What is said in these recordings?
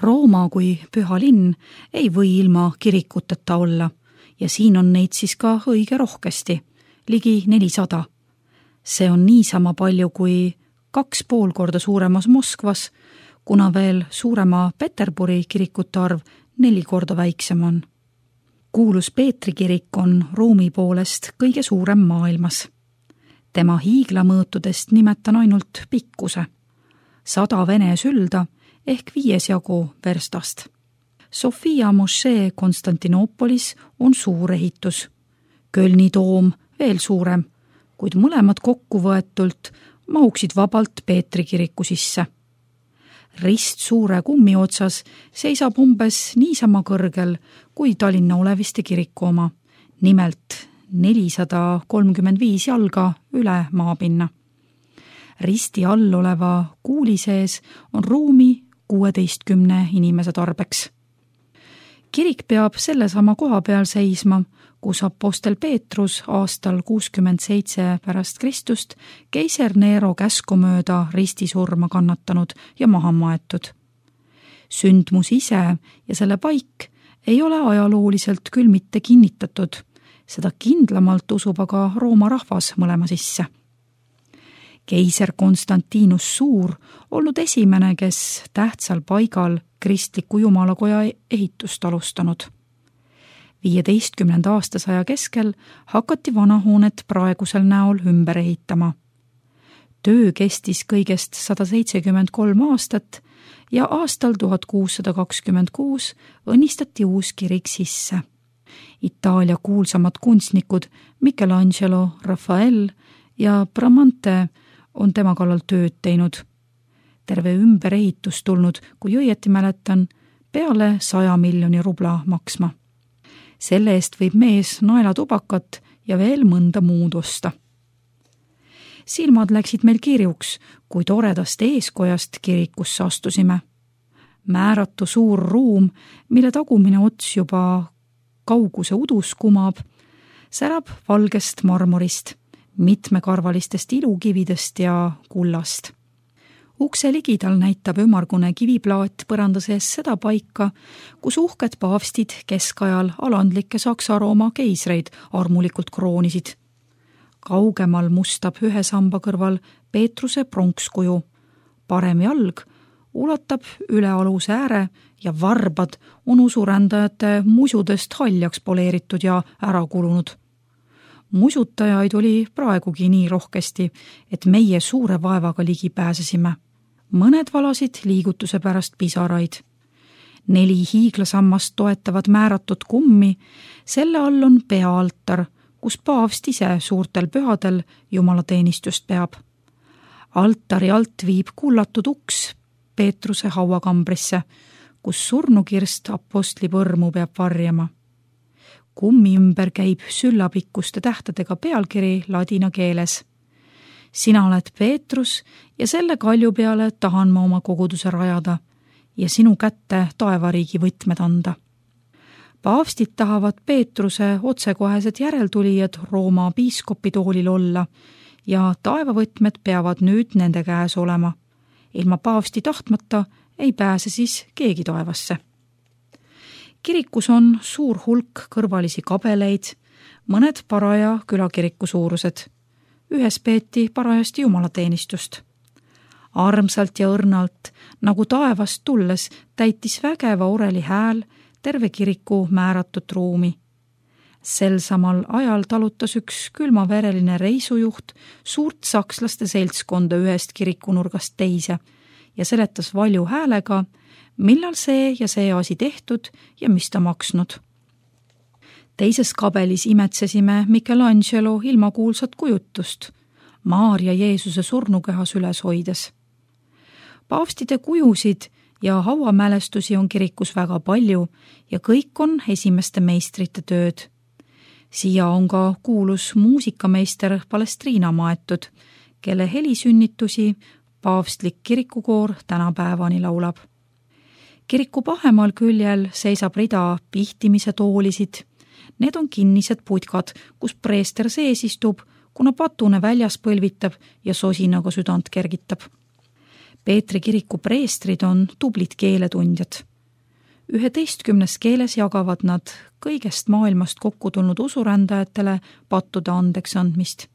Rooma kui püha linn ei või ilma kirikuteta olla ja siin on neid siis ka õige rohkesti, ligi 400. See on niisama palju kui 2,5 korda suuremas Moskvas, kuna veel suurema Peterburi kirikute arv 4 korda väiksem on. Kuulus Peetri kirik on ruumi poolest kõige suurem maailmas. Tema hiiglamõõtudest nimetan ainult pikkuse. 100 vene sülda ehk 5 jagu verstast. Sofia mošee Konstantinoopolis on suur ehitus. Kölni toom veel suurem, kuid mõlemad kokku võetult mahuksid vabalt Peetri kiriku sisse. Rist suure kummi otsas seisab umbes niisama kõrgel kui Tallinna Oleviste kiriku oma, nimelt 435 jalga üle maapinna. Risti all oleva kuuli sees on ruumi 16 inimese tarbeks. Kirik peab sellesama koha peal seisma, kus apostel Peetrus aastal 67 pärast Kristust keiser Nero käsku mööda ristisurma kannatanud ja maha maetud. Sündmus ise ja selle paik ei ole ajalooliselt küll mitte kinnitatud, seda kindlamalt usub aga Rooma rahvas mõlema sisse. Keiser Konstantinus Suur olnud esimene, kes tähtsal paigal kristliku jumalakoja ehitust alustanud. 15. aastasaja keskel hakati vanahoonet praegusel näol ümber ehitama. Töö kestis kõigest 173 aastat ja aastal 1626 õnnistati uus kirik sisse. Itaalia kuulsamad kunstnikud Michelangelo, Rafael ja Bramante on tema kallal tööd teinud. Terve ümberehitus tulnud, kui õieti mäletan, peale 100 miljoni rubla maksma. Selle eest võib mees naelatubakat ja veel mõnda muud osta. Silmad läksid meil kirjuks, kui toredast eeskojast kirikusse astusime. Määratu suur ruum, mille tagumine ots juba kauguse udus kumab, särab valgest marmorist, mitmekarvalistest ilukividest ja kullast. Ukse ligidal näitab ümargune kiviplaat põranda sees seda paika, kus uhked paavstid keskajal alandlikke Saksa-Rooma keisreid armulikult kroonisid. Kaugemal mustab ühe samba kõrval Peetruse pronkskuju. Parem jalg ulatab üle aluse ääre ja varbad on usurändajate musudest haljaks poleeritud ja ära kulunud. Musutajaid oli praegugi nii rohkesti, et meie suure vaevaga ligi pääsesime. Mõned valasid liigutuse pärast pisaraid. 4 hiiglasammast toetavad määratud kummi, selle all on peaaltar, kus paavst ise suurtel pühadel jumalateenistust peab. Altari alt viib kullatud uks Peetruse hauakambrisse, kus surnukirst apostli põrmu peab varjama. Kummi ümber käib süllapikkuste tähtedega pealkiri ladina keeles. Sina oled Peetrus ja selle kalju peale tahan ma oma koguduse rajada ja sinu kätte taevariigi võtmed anda. Paavstid tahavad Peetruse otsekohesed järeltulijad Rooma piiskopitoolil olla ja taevavõtmed peavad nüüd nende käes olema. Ilma paavsti tahtmata ei pääse siis keegi taevasse. Kirikus on suur hulk kõrvalisi kabeleid, mõned paraja külakiriku suurused. Ühes peeti parajasti jumalateenistust. Armsalt ja õrnalt, nagu taevast tulles, täitis vägeva oreli hääl terve kiriku määratud ruumi. Sel samal ajal talutas üks külmavereline reisujuht suurt sakslaste seltskonda ühest kirikunurgast teise ja seletas valju häälega, millal see ja see asi tehtud ja mis ta maksnud. Teises kabelis imetsesime Michelangelo ilmakuulsat kujutust, Maarja Jeesuse surnukehas üles hoides. Paavstide kujusid ja hauamälestusi on kirikus väga palju ja kõik on esimeste meistrite tööd. Siia on ka kuulus muusikameister Palestriina maetud, kelle helisünnitusi paavstlik kirikukoor tänapäevani laulab. Kiriku pahemal küljel seisab rida pihtimise toolisid. Need on kinnised putkad, kus preester sees istub, kuna patune väljas põlvitab ja sosinaga südant kergitab. Peetri kiriku preestrid on tublid keeletundjad. 11 keeles jagavad nad kõigest maailmast kokku tulnud usurändajatele pattude andeks andmist.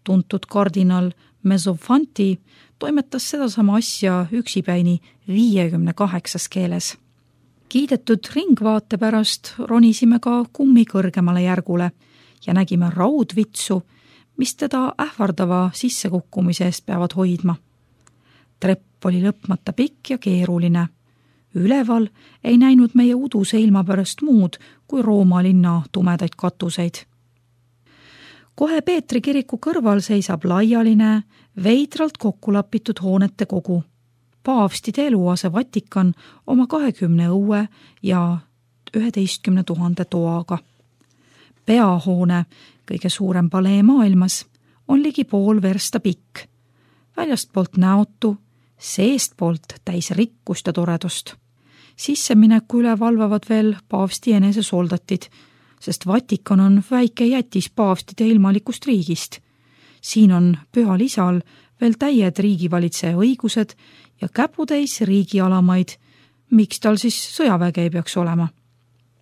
Tuntud kardinal Mezzofanti toimetas sedasama asja üksipäini 58 keeles. Kiidetud ringvaate pärast ronisime ka kummi kõrgemale järgule ja nägime raudvitsu, mis teda ähvardava sissekukkumise eest peavad hoidma. Trepp oli lõpmata pikk ja keeruline. Üleval ei näinud meie uduse ilma pärast muud kui Rooma linna tumedaid katuseid. Kohe Peetri kiriku kõrval seisab laialine, veidralt kokkulapitud hoonete kogu. Paavstide eluase Vatikan oma 20 õue ja 11 000 toaga. Peahoone, kõige suurem palee maailmas, on ligi pool versta pikk. Väljastpoolt näotu, seestpoolt täis rikkust ja toredust. Sissemineku üle valvavad veel paavsti enese soldatid, sest Vatikan on väike jätis paavstide ilmalikust riigist. Siin on pühal isal veel täied riigivalitseja õigused ja käputäis riigialamaid, miks tal siis sõjaväge ei peaks olema.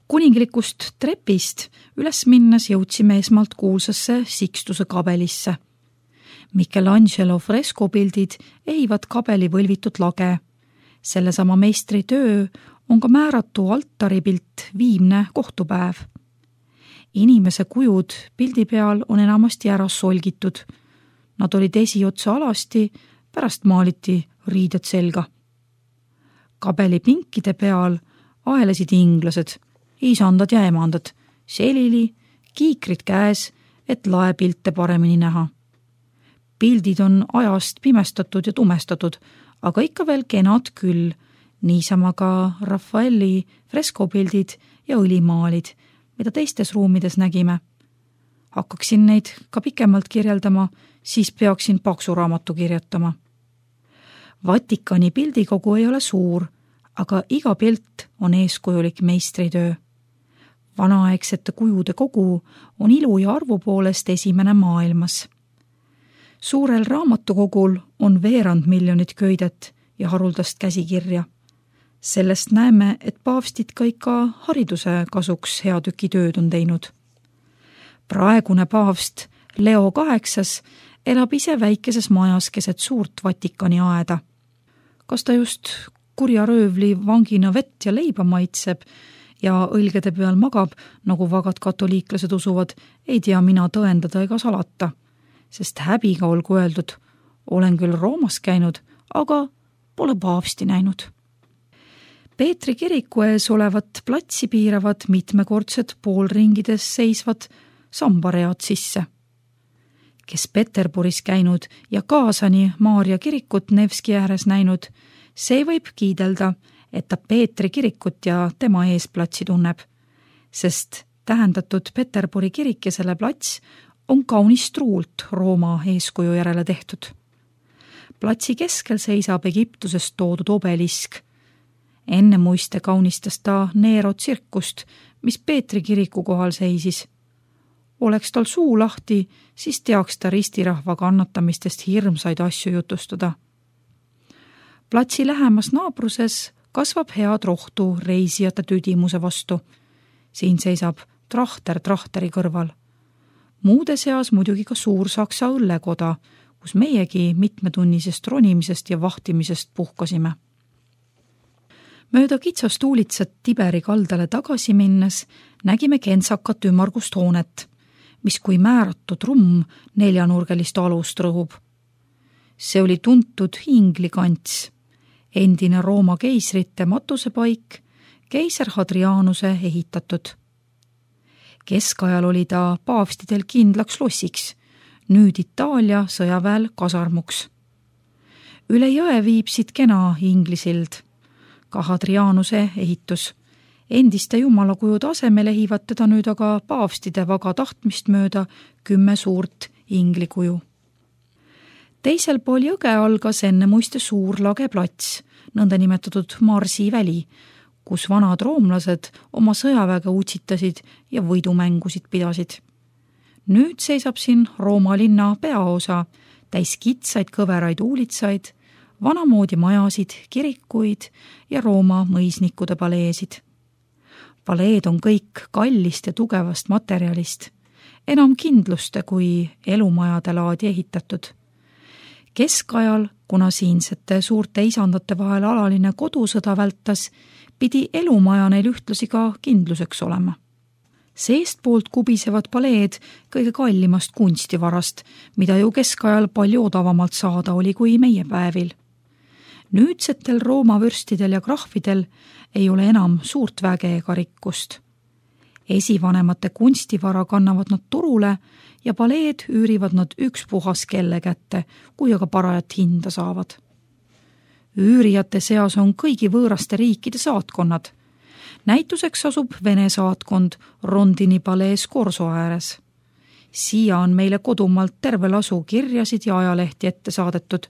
Kuninglikust trepist üles minnes jõudsime esmalt kuulsasse Sixtuse kabelisse. Michelangelo freskopildid ehivad kabeli võlvitud lage. Sellesama meistri töö on ka määratu altaripilt Viimne kohtupäev. Inimese kujud pildi peal on enamasti ära solgitud. Nad olid esiotsa alasti, pärast maaliti riided selga. Kabeli pinkide peal aelesid inglased, isandad ja emandad, selili, kiikrid käes, et laepilte paremini näha. Pildid on ajast pimestatud ja tumestatud, aga ikka veel kenad küll, niisama ka Raffaelli freskopildid ja õlimaalid, mida teistes ruumides nägime. Hakkaksin neid ka pikemalt kirjeldama, siis peaksin paksu raamatu kirjutama. Vatikani pildikogu ei ole suur, aga iga pilt on eeskujulik meistritöö. Vanaaegsete kujude kogu on ilu ja arvu poolest esimene maailmas. Suurel raamatukogul on 2 miljonit köidet ja haruldast käsikirja. Sellest näeme, et paavstid ka ikka hariduse kasuks hea tüki tööd on teinud. Praegune paavst Leo VIII elab ise väikeses majas keset suurt Vatikani aeda. Kas ta just kurja röövli vangina vett ja leiba maitseb ja õlgede peal magab, nagu vagad katoliiklased usuvad, ei tea mina tõendada ega salata, sest häbiga olgu öeldud, olen küll Roomas käinud, aga pole paavsti näinud. Peetri kiriku ees olevat platsi piiravad mitmekordsed poolringides seisvad sambaread sisse. Kes Peterburis käinud ja Kaasani Maarja kirikut Nevski ääres näinud, see võib kiidelda, et ta Peetri kirikut ja tema ees platsi tunneb, sest tähendatud Peterburi kirik ja selle plats on kaunis truult Rooma eeskuju järele tehtud. Platsi keskel seisab Egiptusest toodud obelisk. Enne muiste kaunistas ta Nero tsirkust, mis Peetri kiriku kohal seisis. Oleks tal suu lahti, siis teaks ta ristirahva kannatamistest hirmsaid asju jutustada. Platsi lähemas naabruses kasvab head rohtu reisijate tüdimuse vastu. Siin seisab trahter trahteri kõrval. Muude seas muidugi ka suur Saksa õllekoda, kus meiegi mitmetunnisest ronimisest ja vahtimisest puhkasime. Mööda kitsast uulitsat Tiberi kaldale tagasi minnes nägime kentsakat ümmargust hoonet, mis kui määratud trumm 4-nurgelist alust rõhub. See oli tuntud Inglikants, endine Rooma keisrite matusepaik, keiser Hadrianuse ehitatud. Keskajal oli ta paavstidel kindlaks lossiks, nüüd Itaalia sõjaväel kasarmuks. Üle jõe viib siit kena Inglisild, ka Hadrianuse ehitus. Endiste jumalakujude asemel ehivad teda nüüd aga paavstide vaga tahtmist mööda 10 suurt inglikuju. Teisel pool jõge algas enne muiste suur lageplats, nõndanimetatud Marsi väli, kus vanad roomlased oma sõjaväge utsitasid ja võidumängusid pidasid. Nüüd seisab siin Rooma linna peaosa, täis kitsaid kõveraid uulitsaid, vanamoodi majasid, kirikuid ja Rooma mõisnikude paleesid. Paleed on kõik kallist ja tugevast materjalist, enam kindluste kui elumajade laadi ehitatud. Keskajal, kuna siinsete suurte isandate vahel alaline kodusõda vältas, pidi elumaja neil ühtlasi ka kindluseks olema. Seestpoolt kubisevad paleed kõige kallimast kunstivarast, mida ju keskajal palju odavamalt saada oli kui meie päevil. Nüüdsetel Rooma vürstidel ja krahvidel ei ole enam suurt väge ega rikkust. Esivanemate kunstivara kannavad nad turule ja paleed üürivad nad ükspuhas kelle kätte, kui aga parajat hinda saavad. Üürijate seas on kõigi võõraste riikide saatkonnad. Näituseks asub Vene saatkond Rondini palees Korso ääres. Siia on meile kodumalt terve lasu kirjasid ja ajalehti ette saadetud.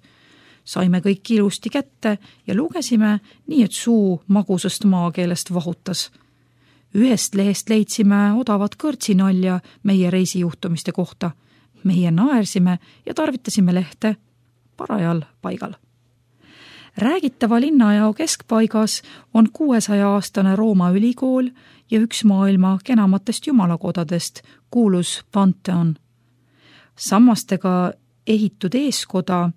Saime kõik ilusti kätte ja lugesime nii, et suu magusast maakeelest vahutas. Ühest lehest leidsime odavat kõrtsinalja meie reisijuhtumiste kohta. Meie naersime ja tarvitasime lehte parajal paigal. Räägitava linnajao keskpaigas on 600-aastane Rooma ülikool ja üks maailma kenamatest jumalakodadest, kuulus Pantheon. Sammastega ehitud eeskoda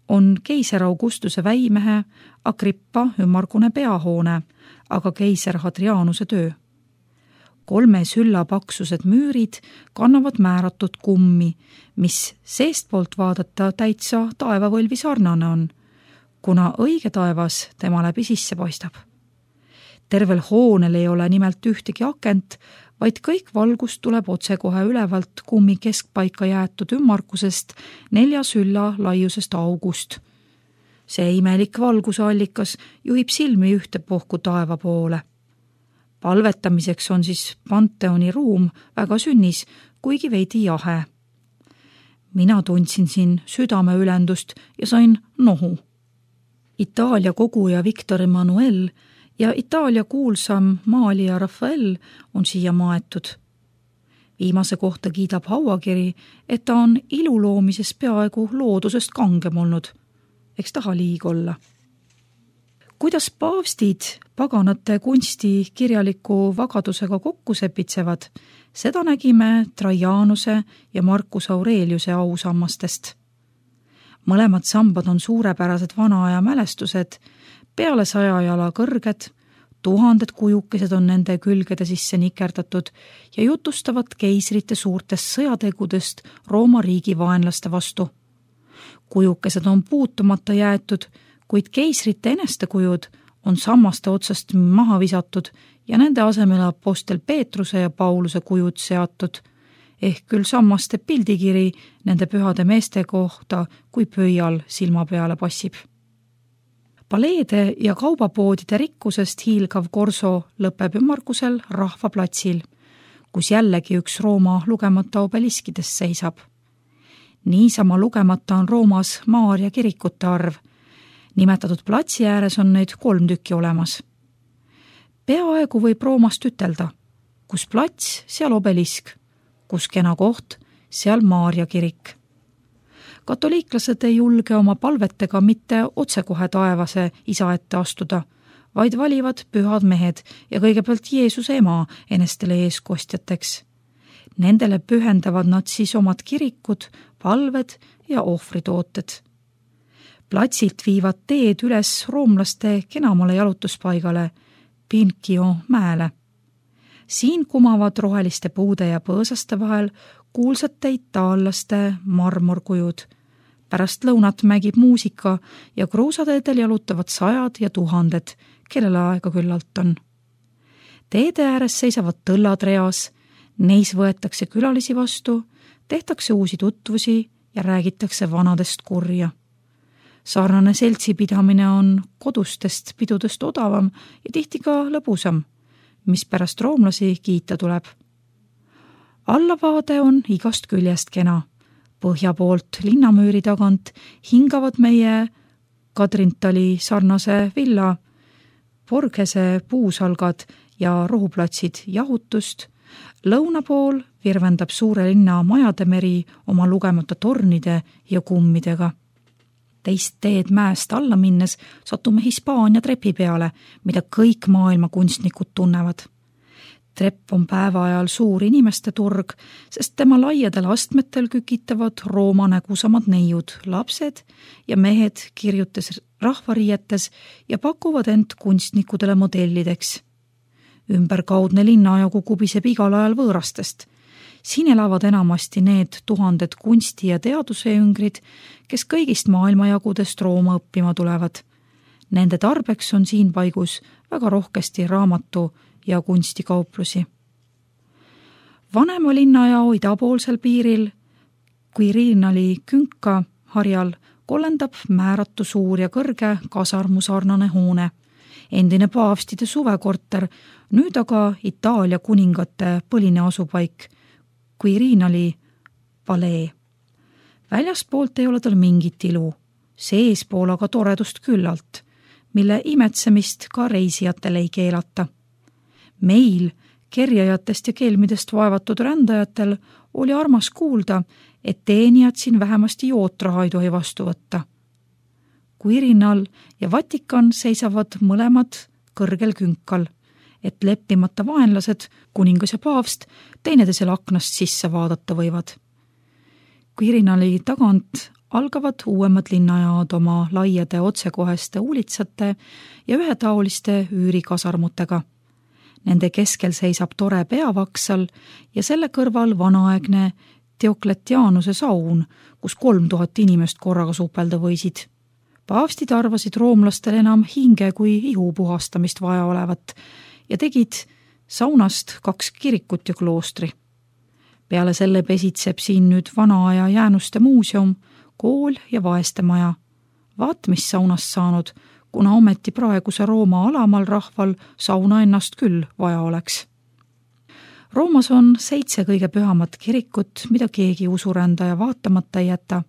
on keiser Augustuse väimehe Agrippa ümmargune peahoone, aga keiser Hadrianuse töö. 3 sülla paksused müürid kannavad määratud kummi, mis seestpoolt vaadata täitsa taevavõlvi sarnane on, kuna õige taevas tema läbi sisse paistab. Tervel hoonel ei ole nimelt ühtegi akent, vaid kõik valgus tuleb otsekohe ülevalt kummi keskpaika jäetud ümmarkusest 4 sülla laiusest august. See imelik valguse allikas juhib silmi ühtepuhku taeva poole. Palvetamiseks on siis Pantheoni ruum väga sünnis, kuigi veidi jahe. Mina tundsin siin südameülendust ja sain nohu. Itaalia koguja Victor Emanuel ja Itaalia kuulsam maalija Rafael on siia maetud. Viimase kohta kiidab hauakiri, et ta on iluloomises peaaegu loodusest kangem olnud. Eks taha liig olla. Kuidas paavstid paganate kunsti kirjaliku vagadusega kokku sepitsevad, seda nägime Trajanuse ja Marcus Aureliuse ausammastest. Mõlemad sambad on suurepärased vanaaja mälestused, peale 100 jala kõrged, 1000 kujukesed on nende külgede sisse nikerdatud ja jutustavad keisrite suurtest sõjategudest Rooma riigi vaenlaste vastu. Kujukesed on puutumata jäetud, kuid keisrite enestekujud on sammaste otsast maha visatud ja nende asemele apostel Peetruse ja Pauluse kujud seatud, ehk küll sammaste pildikiri nende pühade meeste kohta, kui pöial silma peale passib. Paleede ja kaubapoodide rikkusest hiilgav Korso lõpeb ümmargusel rahvaplatsil, kus jällegi üks Rooma lugemata obeliskidest seisab. Niisama lugemata on Roomas Maaria kirikute arv. Nimetatud platsi ääres on neid 3 tükki olemas. Peaaegu võib Roomast ütelda, kus plats, seal obelisk, kus kena koht, seal Maaria kirik. Katoliiklased ei julge oma palvetega mitte otsekohe taevase isa ette astuda, vaid valivad pühad mehed ja kõigepealt Jeesuse ema enestele eeskostjateks. Nendele pühendavad nad siis omad kirikud, palved ja ohvritooted. Platsilt viivad teed üles roomlaste kenamale jalutuspaigale, Pincio mäele. Siin kumavad roheliste puude ja põõsaste vahel kuulsate itaallaste marmorkujud. Pärast lõunat mägib muusika ja kruusateedel jalutavad 100 ja 1000, kellele aega küllalt on. Teede ääres seisavad tõllad reas, neis võetakse külalisi vastu, tehtakse uusi tutvusi ja räägitakse vanadest kurja. Sarnane seltsipidamine on kodustest pidudest odavam ja tihti ka lõbusam, mis pärast roomlasi kiita tuleb. Allavaade on igast küljest kena. Põhja poolt linnamüüri tagant hingavad meie Kadrintali sarnase villa, Borghese puusalgad ja rohuplatsid jahutust, lõuna pool virvendab suure linna majade meri oma lugemata tornide ja kummidega. Teist teed mäest alla minnes satume Hispaania trepi peale, mida kõik maailma kunstnikud tunnevad. Trepp on päeva ajal suur inimeste turg, sest tema laiadel astmetel kükitavad Rooma nägusamad neiud, lapsed ja mehed kirjutes rahvariietes ja pakuvad end kunstnikudele modellideks. Ümberkaudne linnajagu kubiseb igal ajal võõrastest. Siin elavad enamasti need tuhanded kunsti- ja teadusejüngrid, kes kõigist maailmajagudest Rooma õppima tulevad. Nende tarbeks on siin paigus väga rohkesti raamatu- ja kunstikauplusi. Vanema linnajao idapoolsel piiril, Quirinali künka harjal, kollendab määratu suur ja kõrge kasarmusarnane hoone. Endine paavstide suvekorter, nüüd aga Itaalia kuningate põline asupaik, Quirinali palee. Väljaspoolt ei ole tal mingit ilu, seespool aga toredust küllalt, mille imetsemist ka reisijatele ei keelata. Meil, kerjajatest ja kelmidest vaevatud rändajatel, oli armas kuulda, et teenijad siin vähemasti jootraha ei tohi vastu võtta. Quirinal ja Vatikan seisavad mõlemad kõrgel künkal, et leppimata vaenlased, kuningas ja paavst, teineteisel aknast sisse vaadata võivad. Quirinali tagant algavad uuemad linnajaod oma laiade otsekoheste uulitsate ja ühetaoliste üürikasarmutega. Nende keskel seisab tore peavaksal ja selle kõrval vanaaegne Diokletianuse saun, kus 3000 inimest korraga supelda võisid. Paavstid arvasid roomlastel enam hinge kui ihu puhastamist vaja olevat ja tegid saunast 2 kirikut ja kloostri. Peale selle pesitseb siin nüüd vanaaja jäänuste muuseum, kool ja vaestemaja. Vaat mis saunast saanud, kuna ometi praeguse Rooma alamal rahval sauna ennast küll vaja oleks. Roomas on 7 kõige pühamat kirikut, mida keegi usurändaja vaatamata ei jäta.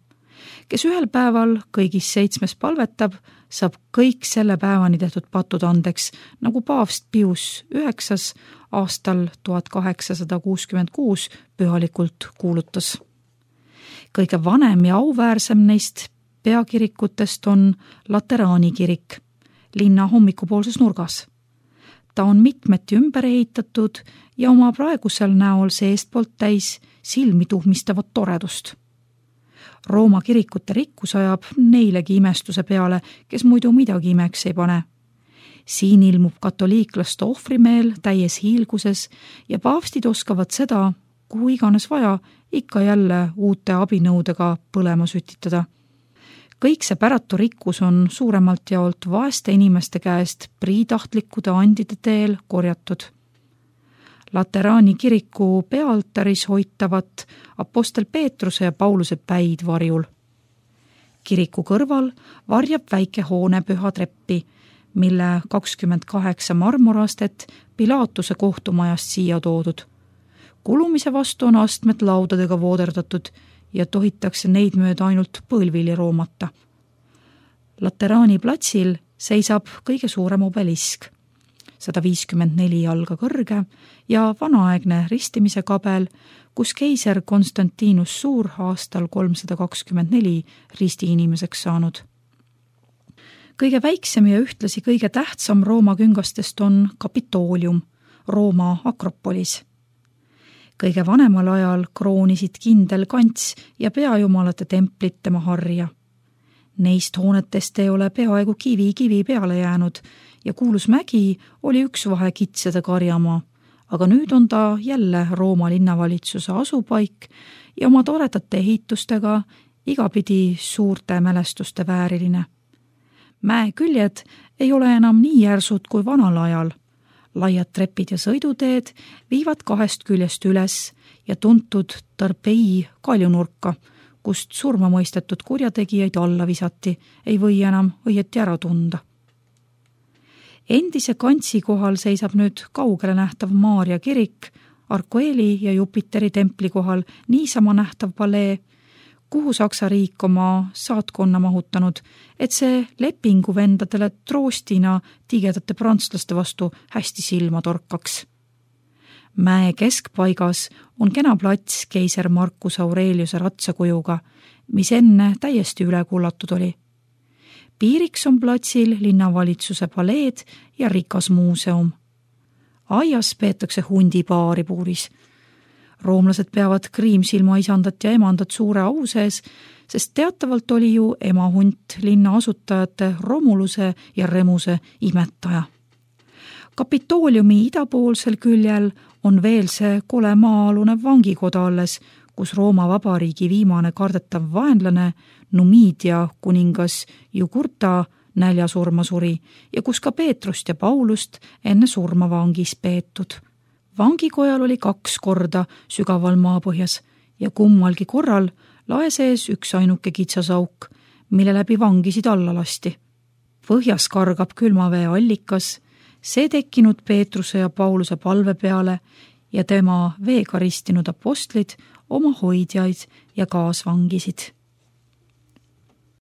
Kes ühel päeval kõigis 7 palvetab, saab kõik selle päevani tehtud patud andeks, nagu paavst Pius IX aastal 1866 pühalikult kuulutas. Kõige vanem ja auväärsem neist peakirikutest on Lateraani kirik, linna hommikupoolses nurgas. Ta on mitmeti ümber ehitatud ja oma praegusel näol seestpoolt täis silmi tuhmistavat toredust. Rooma kirikute rikkus ajab neilegi imestuse peale, kes muidu midagi imeks ei pane. Siin ilmub katoliiklaste ohvrimeel täies hiilguses ja paavstid oskavad seda, kuhu iganes vaja, ikka jälle uute abinõudega põlema sütitada. Kõik see päratu rikkus on suuremalt jaolt vaeste inimeste käest priitahtlikkude andide teel korjatud. Lateraani kiriku peaaltaris hoitavat apostel Peetruse ja Pauluse päid varjul. Kiriku kõrval varjab väike hoone püha treppi, mille 28 marmorastet Pilaatuse kohtumajast siia toodud. Kulumise vastu on astmed laudadega vooderdatud ja tohitakse neid mööda ainult põlvili roomata. Lateraani platsil seisab kõige suurem obelisk, 154 jalga kõrge ja vanaaegne ristimise kabel, kus keiser Konstantinus Suur aastal 324 ristiinimeseks saanud. Kõige väiksem ja ühtlasi kõige tähtsam Rooma küngastest on Kapitoolium, Rooma akropolis. Kõige vanemal ajal kroonisid kindel kants ja peajumalate templit tema harja. Neist hoonetest ei ole peaaegu kivi peale jäänud ja kuulus mägi oli üks vahe kitsede karjamaa, aga nüüd on ta jälle Rooma linnavalitsuse asupaik ja oma toredate ehitustega igapidi suurte mälestuste vääriline. Mäeküljed ei ole enam nii järsud kui vanal ajal. Laiad trepid ja sõiduteed viivad 2 küljest üles ja tuntud Tarpei kaljunurka, kust surma mõistetud kurjategijaid alla visati, ei või enam õieti ära tunda. Endise kantsi kohal seisab nüüd kaugele nähtav Maarja kirik, Arkoeli ja Jupiteri templi kohal niisama nähtav palee, kuhu Saksa riik oma saatkonna mahutanud, et see lepingu vendadele troostina tigedate prantslaste vastu hästi silma torkaks. Mäe keskpaigas on kena plats keiser Marcus Aureliuse ratsakujuga, mis enne täiesti üle kullatud oli. piiriks on platsil linnavalitsuse paleed ja rikas muuseum. Aias peetakse hundipaari puuris. Roomlased peavad Kriimsilma isandat ja emandat suure au sees, sest teatavalt oli ju emahunt linna asutajate Romuluse ja Remuse imetaja. Kapitooliumi idapoolsel küljel on veel see kole maa-alune vangikoda alles, kus Rooma Vabariigi viimane kardetav vaenlane Numidia kuningas Jugurta näljasurma suri ja kus ka Peetrust ja Paulust enne surma vangis peetud. Vangikojal oli 2 korda sügaval maapõhjas ja kummalgi korral lae sees üks ainuke kitsasauk, mille läbi vangisid alla lasti. Põhjas kargab külmavee allikas, see tekkinud Peetruse ja Pauluse palve peale ja tema veega ristinud apostlid oma hoidjaid ja kaasvangisid.